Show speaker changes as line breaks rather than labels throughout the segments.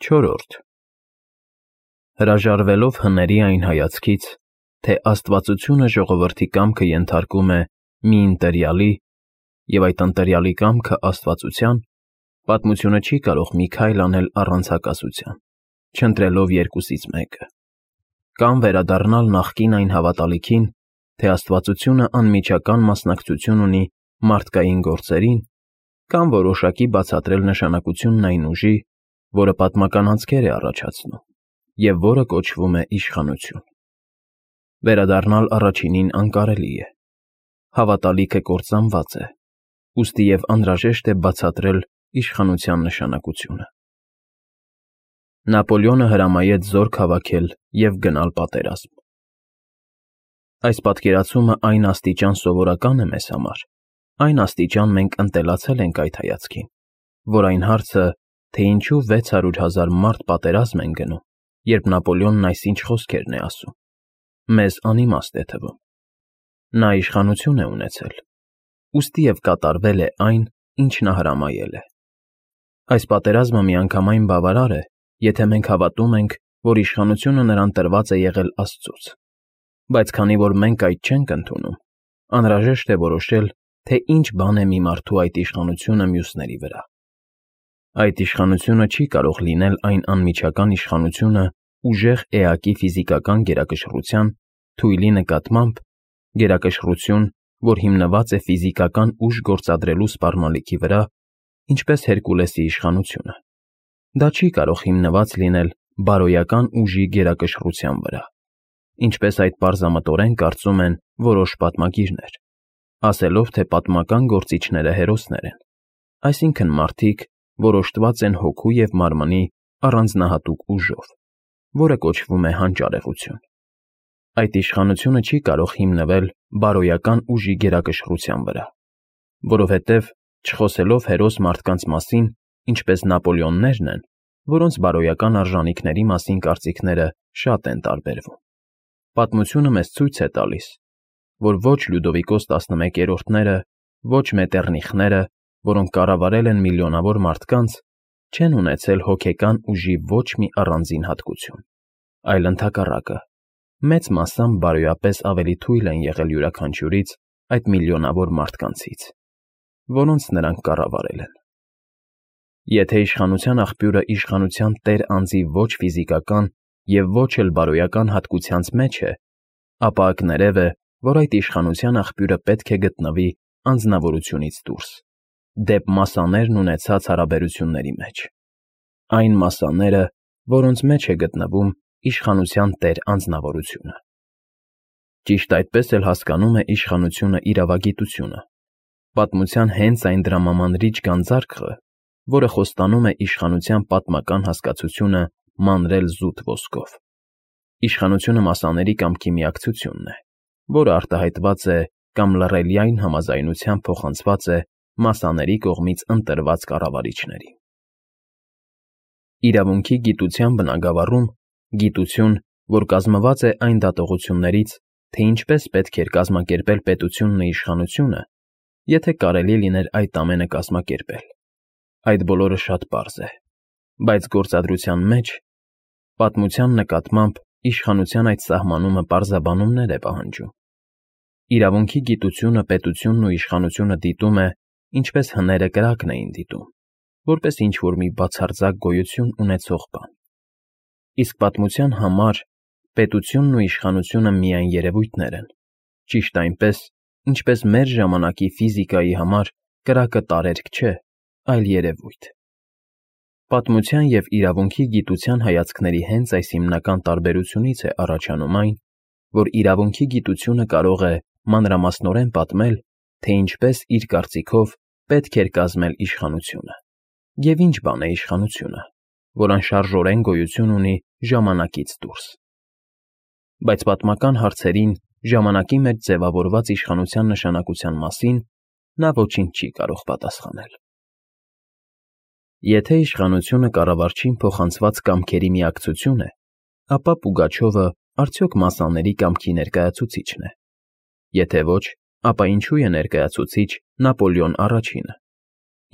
4. Հրաժարվելով հների այն հայացքից, թե աստվածությունը ժողովրդի կամքը ենթարկում է մի ընտերյալի և այդ ընտերյալի կամքը աստվածության, պատմությունը չի կարող մի քայլ անել առանց հակասության, չընտրելով երկուսից մեկը, կամ վերադառնալ նախկին այն հավատալիքին, թե աստվածությունը անմիջական մասնակցություն ունի մարդկային գործերին, կամ որոշակի բացատրել նշանակությունն այն ուժի, որը պատմական անցքեր է առաջացնում և որը կոչվում է իշխանություն։ Վերադառնալ առաջինին անկարելի է։ Հավատալիքը կործանված է, ուստի և անհրաժեշտ է բացատրել իշխանության նշանակությունը։ Նապոլեոնը հրամայեց զորք հավաքել և գնալ պատերազմ։ Այս պատկերացումը այն աստիճան սովորական է մեզ համար, այն աստիճան մենք ընտելացել ենք այդ հայացքին, որ այն հարցը, թե ինչու 600,000 մարդ պատերազմ են գնում, երբ Նապոլեոնն այսինչ խոսքերն է ասում, մեզ անիմաստ է թվում։ Նա իշխանություն է ունեցել, ուստի և կատարվել է այն, ինչ նա հրամայել է։ Այս պատերազմը միանգամայն բավարար է, եթե մենք հավատում ենք, որ իշխանությունը նրան տրված է եղել Աստծուց, բայց քանի որ մենք այդ չենք ընդունում, անհրաժեշտ է որոշել, թե ինչ բան է մի մարդու այդ իշխանությունը մյուսների վրա։ Այդ իշխանությունը չի կարող լինել այն անմիջական իշխանությունը ուժեղ էակի ֆիզիկական գերակշռության թույլի նկատմամբ, գերակշռություն, որ հիմնված է ֆիզիկական ուժ գործադրելու սպառնալիքի վրա, ինչպես Հերկուլեսի իշխանությունը։ Դա չի կարող հիմնված լինել բարոյական ուժի գերակշռության վրա, ինչպես այդ պարզամտորեն կարծում են որոշ պատմագիրներ, ասելով, թե պատմական գործիչները հերոսներ են, այսինքն մարդիկ, որ օժտված են հոգու և մարմնի առանձնահատուկ ուժով, որը կոչվում է հանճարեղություն։ Այդ իշխանությունը չի կարող հիմնվել բարոյական ուժի գերակշռության վրա, որովհետև, չխոսելով հերոս մարդկանց մասին, ինչպես Նապոլեոններն են, որոնց բարոյական արժանիքների մասին կարծիքները շատ են տարբերվում։ Պատմությունը մեզ ցույց է տալիս, որ ոչ Լյուդովիկոս 11-րդները, ոչ Մետեռնիխները, որոնք կառավարել են միլիոնավոր մարդկանց, չեն ունեցել հոգեկան ուժի ոչ մի առանձին հատկություն, այլ ընդհակառակը, մեծ մասամբ բարոյապես ավելի թույլ են եղել յուրաքանչյուրից այդ միլիոնավոր մարդկանցից, որոնց նրանք կառավարել են։ Եթե իշխանության աղբյուրը իշխանության տեր անձի ոչ ֆիզիկական և ոչ էլ բարոյական հատկությանց մեջ է, ապա կներև է, որ այդ իշխանության աղբյուրը պետք է գտնվի անձնավորությունից դուրս, դեպ մասսաներն ունեցած հարաբերությունների մեջ, այն մասսաները, որոնց մեջ է գտնվում իշխանության տեր անձնավորությունը։ Ճիշտ այդպես էլ հասկանում է իշխանությունը իրավագիտությունը, պատմության հենց այն դրամամանրիչ գանձարկղը, որը խոստանում է իշխանության պատմական հասկացությունը մանրել զուտ ոսկով։ Իշխանությունը մասսաների կամքի միակցությունն է, որը արտահայտված է կամ լռելիային համաձայնությամբ փոխանցված է մասսաների կողմից ընտրված կառավարիչներին։ Իրավունքի գիտության բնագավառում գիտություն, որ կազմված է այն դատողություններից, թե ինչպես պետք էր կազմակերպել պետությունն ու իշխանությունը, եթե կարելի լիներ այդ ամենը կազմակերպել։ Այդ բոլորը շատ պարզ է, բայց գործադրության մեջ, պատմության նկատմամբ իշխանության այդ սահմանումը պարզաբանումներ է պահանջում։ Իրավունքի գիտությունը պետությունն ու իշխանությունը դիտում է, ինչպես հները կրակն էին դիտում, որպես ինչ-որ մի բացարձակ գոյություն ունեցող բան։ Իսկ պատմության համար պետությունն ու իշխանությունը միայն երևույթներ են, ճիշտ այնպես, ինչպես մեր ժամանակի ֆիզիկայի համար կրակը տարերք չէ, այլ երևույթ։ Պատմության և իրավունքի գիտության հայացքների հենց այս հիմնական տարբերությունից է առաջանում այն, որ իրավունքի գիտությունը կարող է մանրամասնորեն պատմել, թե ինչպես իր կարծիքով պետք էր կազմել իշխանությունը, և ինչ բան է իշխանությունը, որ անշարժորեն գոյություն ունի ժամանակից դուրս։ Բայց պատմական հարցերին ժամանակի մեջ ձևավորված իշխանության նշանակության մասին նա ոչինչ չի կարող պատասխանել։ Եթե իշխանությունը կառավարչին փոխանցված կամքերի միակցություն է, ապա Պուգաչովը արդյոք մասսաների կամքի ներկայացուցիչն է։ Եթե ոչ, ապա ինչու է ներկայացուցիչ Նապոլեոն առաջինը։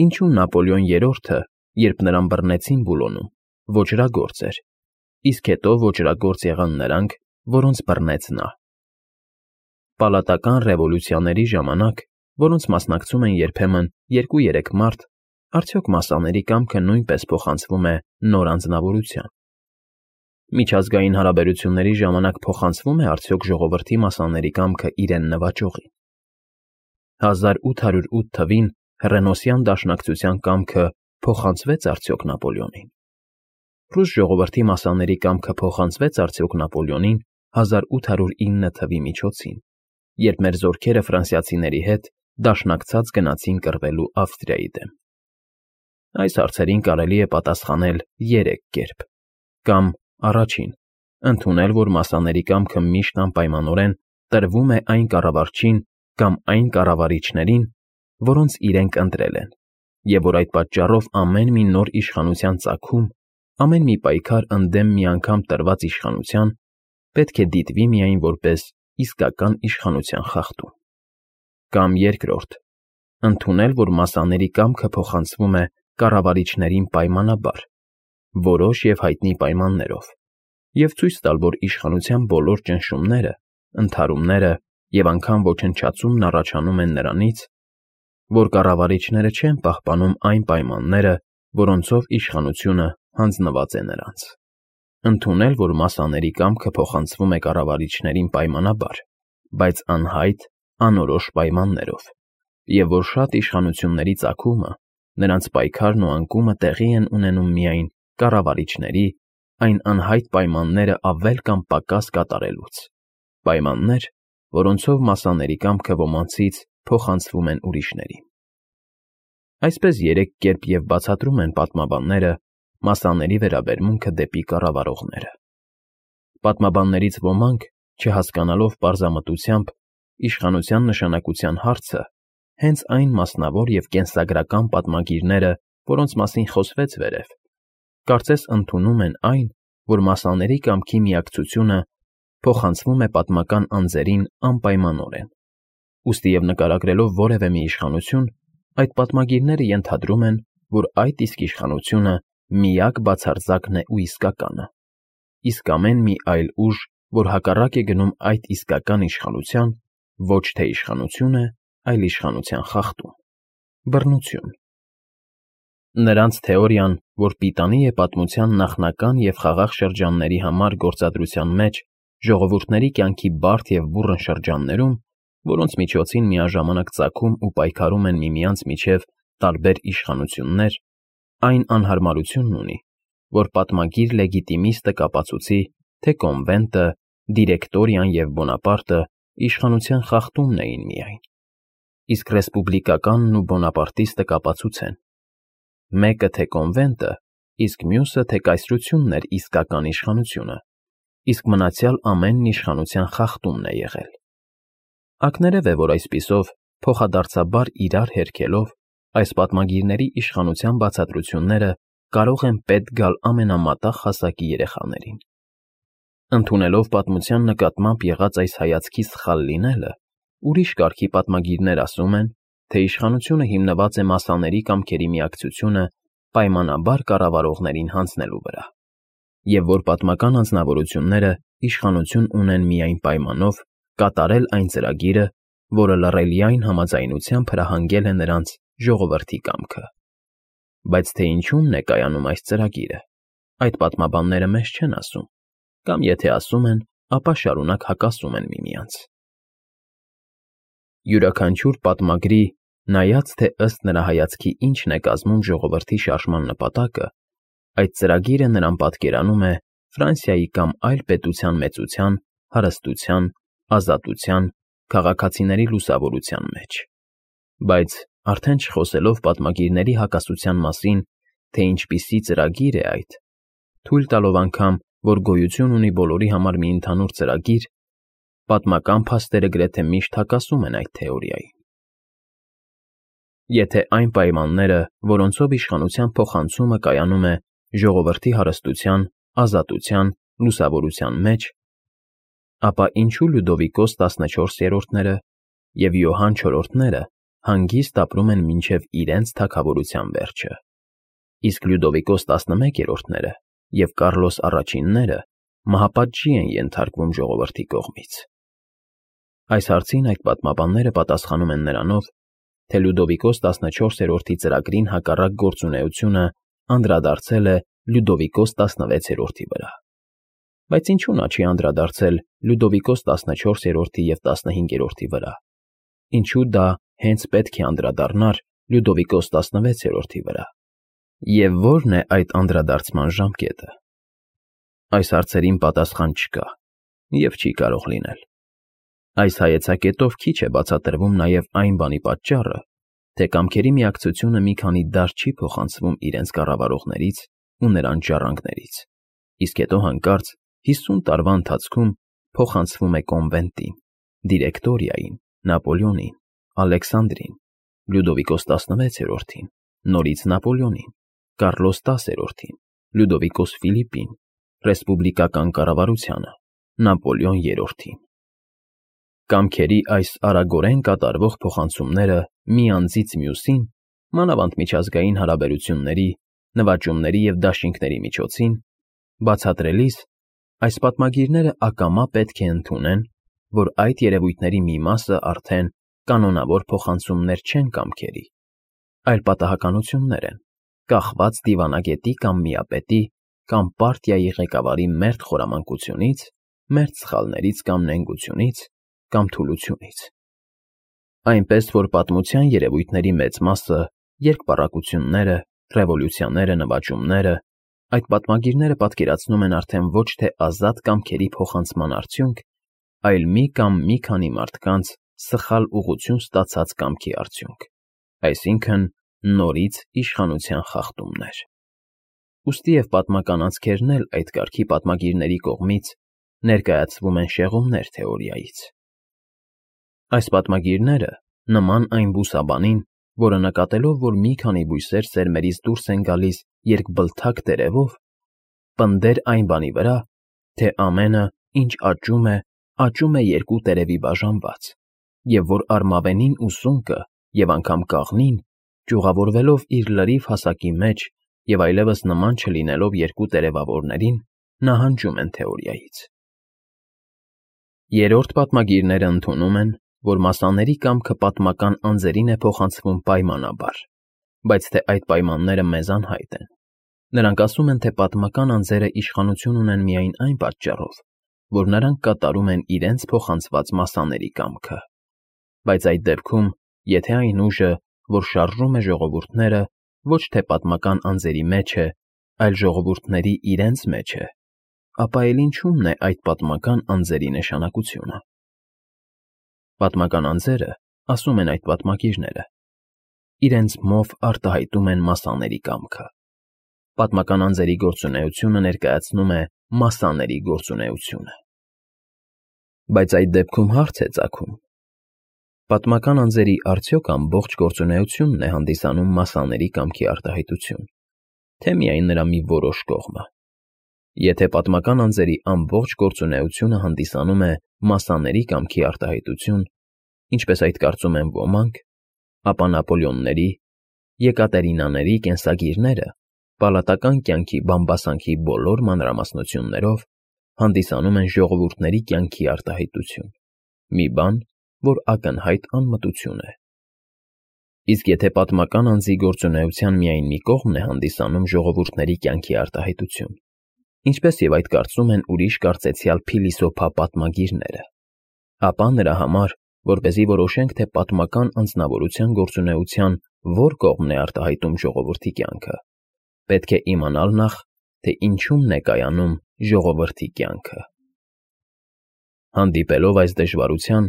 Ինչու Նապոլեոն երրորդը, երբ նրան բռնեցին Բուլոնում, ոճրագործ էր, իսկ հետո ոճրագործ եղան նրանք, որոնց բռնեց նա։ Պալատական ռևոլյուցիաների ժամանակ, որոնց մասնակցում են երբեմն 2-3 մարդ, արդյոք մասաների կամքը նույնպես փոխանցվում է նոր անձնավորության։ Միջազգային հարաբերությունների ժամանակ փոխանցվում է արդյոք ժողովրդի մասաների կամքը իրեն նվաճողին։ 1808 թվին Հռենոսյան դաշնակցության կամքը փոխանցվեց արդյոք Նապոլեոնին։ Ռուս ժողովրդի մասաների կամքը փոխանցվեց արդյոք Նապոլեոնին 1809 թվի միջոցին, երբ մեր զորքերը ֆրանսիացիների հետ դաշնակցած գնացին կռվելու Ավստրիայի դեմ։ Այս հարցերին կարելի է պատասխանել 3 կերպ. կամ առաջին, ընդունել, որ մասաների կամքը միշտ անպայմանորեն տրվում է այն կառավարչին կամ այն կառավարիչներին, որոնց իրենք ընտրել են, և որ այդ պատճառով ամեն մի նոր իշխանության ծագում, ամեն մի պայքար ընդդեմ մի անգամ տրված իշխանության պետք է դիտվի միայն որպես իսկական իշխանության խախտում։ Կամ երկրորդ, ընդունել, որ մասաների կամքը փոխանցվում է կառավարիչներին պայմանաբար, որոշ և հայտնի պայմաններով, և ցույց տալ, որ իշխանության բոլոր ճնշումները, ընդհարումները և անգամ ոչնչացումն առաջանում են նրանից, որ կառավարիչները չեն պահպանում այն պայմանները, որոնցով իշխանությունը հանձնված է նրանց։ Ընդունել, որ մասաների կամքը փոխանցվում է կառավարիչներին պայմանաբար, բայց անհայտ, անորոշ պայմաններով, և որ շատ իշխանությունների ծագումը, նրանց պայքարն ու անկումը տեղի են ունենում միայն կառավարիչների այն անհայտ պայմանները ավել կամ պակաս կատարելուց, պայմաններ, որոնցով մասաների կամքը ոմանցից փոխանցվում են ուրիշներին։ Այսպես 3 կերպ և բացատրում են պատմաբանները մասաների վերաբերմունքը դեպի կառավարողները։ Պատմաբաններից ոմանք, չհասկանալով պարզամտությամբ իշխանության նշանակության հարցը, հենց այն մասնավոր և կենսագրական պատմագիրները, որոնց մասին խոսվեց վերև, կարծես ընդունում են այն, որ մասաների կամքի միակցությունը փոխանցվում է պատմական անձերին անպայմանորեն։ Ուստի և նկարագրելով որևէ մի իշխանություն, այդ պատմագիրները ենթադրում են, որ այդ իսկ իշխանությունը միակ բացարձակն է ու իսկականը, իսկ ամեն մի այլ ուժ, որ հակառակ է գնում այդ իսկական իշխանության, ոչ թե իշխանություն է, այլ իշխանության խախտում, բռնություն։ Նրանց թեորիան, որ պիտանի է պատմության նախնական և խաղաղ շրջանների համար գործադրության մեջ ժողովուրդների կյանքի բարդ և բուռն շրջաններում, որոնց միջոցին միաժամանակ ծագում ու պայքարում են միմյանց միջև տարբեր իշխանություններ, այն անհարմարությունն ունի, որ պատմագիր լեգիտիմիստը կապացուցի, թե կոնվենտը, դիրեկտորիան և Բոնապարտը իշխանության խախտումն էին միայն, իսկ ռեսպուբլիկականն ու բոնապարտիստը կապացուցեն. մեկը թե կոնվենտը, իսկ մյուսը թե կայսրությունն էր իսկական իշխանությունը, իսկ մնացյալ ամենն իշխանության խախտումն է եղել։ Ակներև է, որ այսպիսով, փոխադարձաբար իրար հերքելով, այս պատմագիրների իշխանության բացատրությունները կարող են պետք գալ ամենամատաղ հասակի երեխաներին։ Ընդունելով պատմության նկատմամբ եղած այս հայացքի սխալ լինելը, ուրիշ կարգի պատմագիրներ ասում են, թե իշխանությունը հիմնված է մասաների կամքերի միակցությունը պայմանաբար կառավարողներին հանձնելու վրա, և որ պատմական անձնավորությունները իշխանություն ունեն միայն պայմանով կատարել այն ծրագիրը, որը լռելիային համաձայնությամբ հրահանգել է նրանց ժողովրդի կամքը։ Բայց թե ինչումն է կայանում այս ծրագիրը, այդ պատմաբանները մեզ չեն ասում, կամ եթե ասում են, ապա շարունակ հակասում են միմյանց։ Յուրաքանչյուր պատմագրի, նայած թե ըստ նրա հայացքի ինչն է կազմում ժողովրդի շարժման նպատակը, այդ ծրագիրը նրան պատկերանում է Ֆրանսիայի կամ այլ պետության մեծության, հարստության, ազատության, քաղաքացիների լուսավորության մեջ։ Բայց, արդեն չխոսելով պատմագիրների հակասության մասին, թե ինչպիսի ծրագիր է այդ, թույլ տալով անգամ, որ գոյություն ունի բոլորի համար մի ընդհանուր ծրագիր, պատմական փաստերը գրեթե միշտ հակասում են այդ թեորիային։ Եթե այն պայմանները, որոնցով իշխանության փոխանցումը կայանում է ժողովրդի հարստության, ազատության, լուսավորության մեջ, ապա ինչու Լյուդովիկոս 14-րդները և Յոհան IV-ները հանգիստ ապրում են մինչև իրենց թագավորության վերջը, իսկ Լյուդովիկոս 11-րդները և Կառլոս առաջինները մահապատժի են ենթարկվում ժողովրդի կողմից։ Այս հարցին այդ պատմաբանները պատասխանում են նրանով, թե Լյուդովիկոս 14-րդի ծրագրին հակառակ գործունեությունը անդրադարձել է Լյուդովիկոս 16-րդի վրա։ Բայց ինչու նա չի անդրադարձել Լյուդովիկոս 14-րդի և 15-րդի վրա։ Ինչու դա հենց պետք է անդրադառնար Լյուդովիկոս 16-րդի վրա։ Եվ ո՞րն է այդ անդրադարձման ժամկետը։ Այս հարցերին պատասխան չկա և չի կարող լինել։ Այս հայեցակետով քիչ է բացատրվում նաև այն բանի պատճառը, թե կամքերի միակցությունը մի քանի դար չի փոխանցվում իրենց կառավարողներից ու նրանց ժառանգներից, իսկ հետո հանկարծ 50 տարվա ընթացքում փոխանցվում է կոնվենտին, դիրեկտորիային, Նապոլեոնին, Ալեքսանդրին, Լյուդովիկոս 16-րդին, նորից Նապոլեոնին, Կառլոս 10-րդին, Լյուդովիկոս Ֆիլիպին, ռեսպուբլիկական կառավարությանը, Նապոլեոն III-ին։ Կամքերի այս արագորեն կատարվող փոխանցումները մի անձից մյուսին, մանավանդ միջազգային հարաբերությունների, նվաճումների և դաշինքների միջոցին, բացատրելիս, այս պատմագիրները ակամա պետք է ընդունեն, որ այդ երևույթների մի մասը արդեն կանոնավոր փոխանցումներ չեն կամքերի, այլ պատահականություններ են, կախված դիվանագետի կամ միապետի կամ պարտիայի ղեկավարի մերթ խորամանկությունից, մերթ սխալներից կամ նենգությունից, կամ թուլությունից։ Այնպես որ պատմության երևույթների մեծ մասը, երկպառակությունները, ռևոլյուցիաները, նվաճումները, այդ պատմագիրները պատկերացնում են արդեն ոչ թե ազատ կամքերի փոխանցման արդյունք, այլ մի կամ մի քանի մարդկանց սխալ ուղղություն ստացած կամքի արդյունք, այսինքն նորից իշխանության խախտումներ։ Ուստի և պատմական անցքերն էլ այդ կարգի պատմագիրների կողմից ներկայացվում են շեղումներ թեորիայից։ Այս պատմագիրները, նման այն բուսաբանին, որը նկատելով, որ մի քանի բույսեր սերմերից դուրս են գալիս երկբլթակ տերևով, պնդեր այն բանի վրա, թե ամենը, ինչ աճում է երկու տերևի բաժանված, և որ արմավենին ու սունկը, և անգամ կաղնին, ճյուղավորվելով իր լրիվ հասակի մեջ և այլևս նման չլինելով երկու տերևավորներին, նահանջում են թեորիայից։ Երրորդ պատմագիրները ընդունում են, որ մասաների կամքը պատմական անձերին է փոխանցվում պայմանաբար, բայց թե այդ պայմանները մեզ անհայտ են։ Նրանք ասում են, թե պատմական անձերը իշխանություն ունեն միայն այն պատճառով, որ նրանք կատարում են իրենց փոխանցված մասաների կամքը։ Բայց այդ դեպքում, եթե այն ուժը, որ շարժում է ժողովուրդները, ոչ թե պատմական անձերի մեջ է, այլ ժողովուրդների իրենց մեջ է, ապա էլ ինչու՞մն է այդ պատմական անձերի նշանակությունը։ Պատմական անձերը, ասում են այդ պատմագիրները, իրենց մով արտահայտում են մասաների կամքը։ Պատմական անձերի գործունեությունը ներկայացնում է մասաների գործունեությունը։ Բայց այդ դեպքում հարց է ծագում. պատմական անձերի արդյոք ամբողջ գործունեությունն է հանդիսանում մասաների կամքի արտահայտություն, թե միայն նրա մի որոշ կողմը։ Եթե պատմական անձերի ամբողջ գործունեությունը հանդիսանում է մասաների կամքի արտահայտություն, ինչպես այդ կարծում են ոմանք, ապա Նապոլեոնների, Եկատերինաների կենսագիրները պալատական կյանքի բամբասանքի բոլոր մանրամասնություններով հանդիսանում են ժողովուրդների կյանքի արտահայտություն, մի բան, որ ակնհայտ անմտություն է։ Իսկ եթե պատմական անձի գործունեության միայն մի կողմն է հանդիսանում ժողովուրդների կյանքի արտահայտություն, ինչպես և այդ կարծում են ուրիշ կարծեցյալ փիլիսոփա պատմագիրները, ապա նրա համար, որպեսզի որոշենք, թե պատմական անձնավորության գործունեության որ կողմն է արտահայտում ժողովրդի կյանքը, պետք է իմանալ նախ, թե ինչումն է կայանում ժողովրդի կյանքը։ Հանդիպելով այս դժվարության,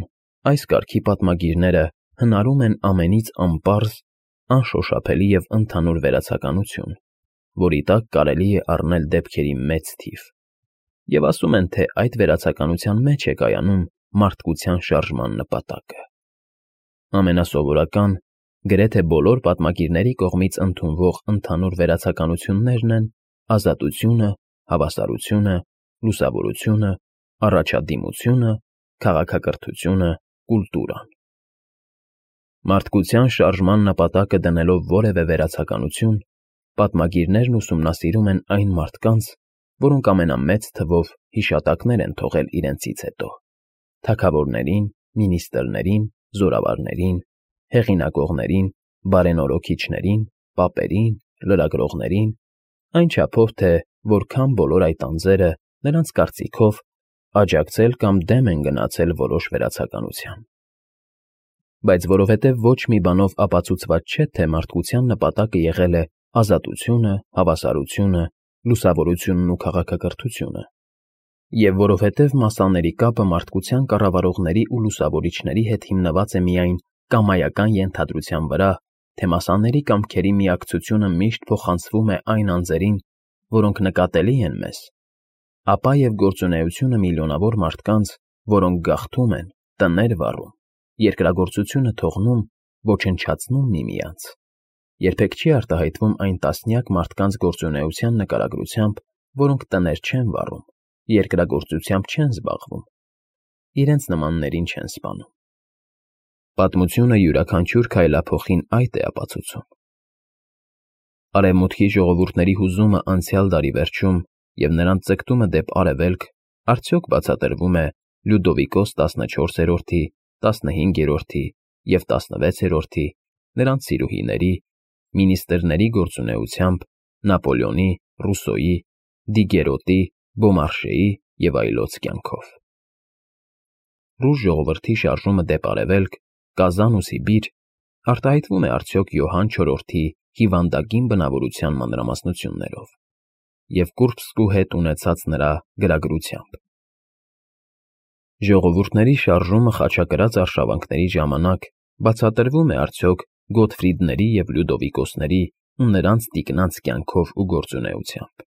այս կարգի պատմագիրները հնարում են ամենից անպարզ, անշոշափելի և ընդհանուր վերացականություն, որի տակ կարելի է առնել դեպքերի մեծ թիվ, և ասում են, թե այդ վերացականության մեջ է կայանում մարդկության շարժման նպատակը։ Ամենասովորական, գրեթե բոլոր պատմագիրների կողմից ընդունվող ընդհանուր վերացականություններն են ազատությունը, հավասարությունը, լուսավորությունը, առաջադիմությունը, քաղաքակրթությունը, կուլտուրան։ Մարդկության շարժման նպատակը դնելով որևէ վերացականություն, պատմագիրներն ուսումնասիրում են այն մարդկանց, որոնք ամենամեծ թվով հիշատակներ են թողել իրենցից հետո. թագավորներին, մինիստրներին, զորավարներին, հեղինակողներին, բարենորոքիչներին, պապերին, լրագրողներին, այն չափով, թե որքան բոլոր այդ անձերը, նրանց կարծիքով, աջակցել կամ դեմ են գնացել որոշ վերացականության։ Բայց որովհետև ոչ մի բանով ապացուցված չէ, թե մարդկության նպատակը եղել է ազատությունը, հավասարությունը, լուսավորությունն ու քաղաքակրթությունը, և որովհետև մասաների կապը մարդկության կառավարողների ու լուսավորիչների հետ հիմնված է միայն կամայական ենթադրության վրա, թե մասաների կամքերի միակցությունը միշտ փոխանցվում է այն անձերին, որոնք նկատելի են մեզ, ապա և գործունեությունը միլիոնավոր մարդկանց, որոնք գաղթում են, տներ վառում, երկրագործությունը թողնում, ոչնչացնում միմյանց, երբեք չի արտահայտվում այն տասնյակ մարդկանց գործունեության նկարագրությամբ, որոնք տներ չեն վառում, երկրագործությամբ չեն զբաղվում, իրենց նմաններին չեն սպանում։ Պատմությունը յուրաքանչյուր քայլափոխին այդ է ապացուցում։ Արևմուտքի ժողովուրդների հուզումը անցյալ դարի վերջում և նրանց ձգտումը դեպ արևելք արդյոք բացատրվում է Լյուդովիկոս 14-րդի, 15-րդի և 16-րդի, նրանց սիրուհիների, մինիստրների գործունեությամբ, Նապոլեոնի, Ռուսոյի, Դիգերոտի, Բոմարշեի և այլոց կյանքով։ Ռուս ժողովրդի շարժումը դեպ արևելք, Կազան ու Սիբիր արտահայտվում է արդյոք Յոհան IV-ի հիվանդագին բնավորության մանրամասնություններով և Կուրբսկու հետ ունեցած նրա գրագրությամբ։ Ժողովուրդների շարժումը խաչակրաց արշավանքների ժամանակ բացատրվում է արդյոք Գոթֆրիդների և Լյուդովիկոսների ու նրանց տիկնանց կյանքով ու գործունեությամբ։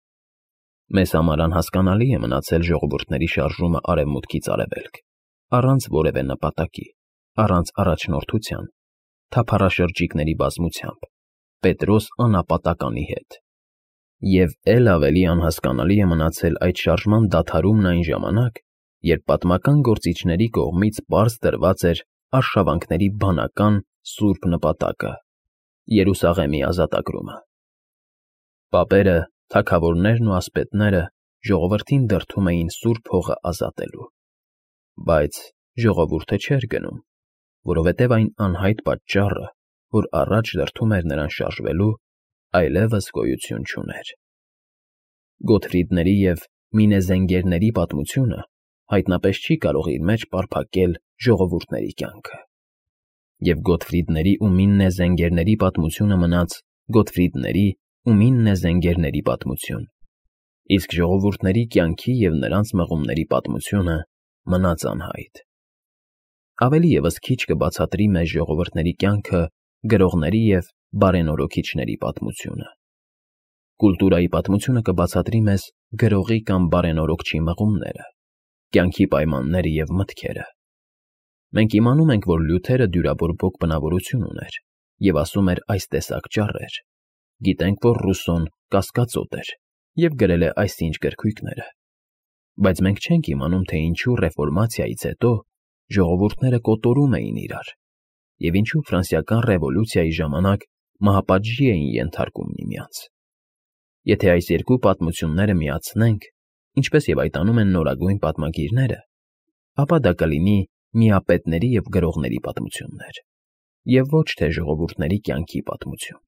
Մեզ համար անհասկանալի է մնացել ժողովուրդների շարժումը արևմուտքից արևելք, առանց որևէ նպատակի, առանց առաջնորդության, թափառաշրջիկների բազմությամբ, Պետրոս անապատականի հետ։ Եվ էլ ավելի անհասկանալի է մնացել այդ շարժման դադարումն այն ժամանակ, երբ պատմական գործիչների կողմից պարզ տրված էր արշավանքների բանական սուրբ նպատակը՝ Երուսաղեմի ազատագրումը։ Պապերը, թագավորներն ու ասպետները ժողովրդին դրդում էին Սուրբ Հողը ազատելու։ Բայց ժողովուրդը չէր գնում, որովհետև այն անհայտ պատճառը, որ առաջ դրդում էր նրան շարժվելու, այլևս գոյություն չուներ։ Գոթֆրիդների և Մինեզենգերների պատմությունը հայտնապես չի կարող իր մեջ պարփակել ժողովուրդների կյանքը։ Եվ Գոթֆրիդների ու Մինեզենգերների պատմությունը մնաց Գոթֆրիդների ու Մինեզենգերների պատմություն, իսկ ժողովուրդների կյանքի և նրանց մղումների պատմությունը մնաց անհայտ։ Ավելի ևս քիչ կբացատրի մեզ ժողովուրդների կյանքը գրողների և բարենորոքիչների պատմությունը։ Կուլտուրայի պատմությունը կբացատրի մեզ գրողի կամ բարենորոքչի մղումները, կյանքի պայմանները և մտքերը։ Մենք իմանում ենք, որ Լյութերը դյուրաբորբոք բնավորություն ուներ և ասում էր այս տեսակ ճառեր, գիտենք, որ Ռուսոն կասկածոտ էր և գրել է այսինչ գրքույկները, բայց մենք չենք իմանում, թե ինչու Ռեֆորմացիայից հետո ժողովուրդները կոտորում էին իրար և ինչու Ֆրանսիական Ռևոլյուցիայի ժամանակ մահապատժի էին ենթարկում միմյանց։ Եթե այս երկու պատմությունները միացնենք, ինչպես և այդ անում են նորագույն պատմագիրները, ապա դա կլինի միապետների և գրողների պատմություններ, և ոչ թե ժողովուրդների կյանքի պատմություն։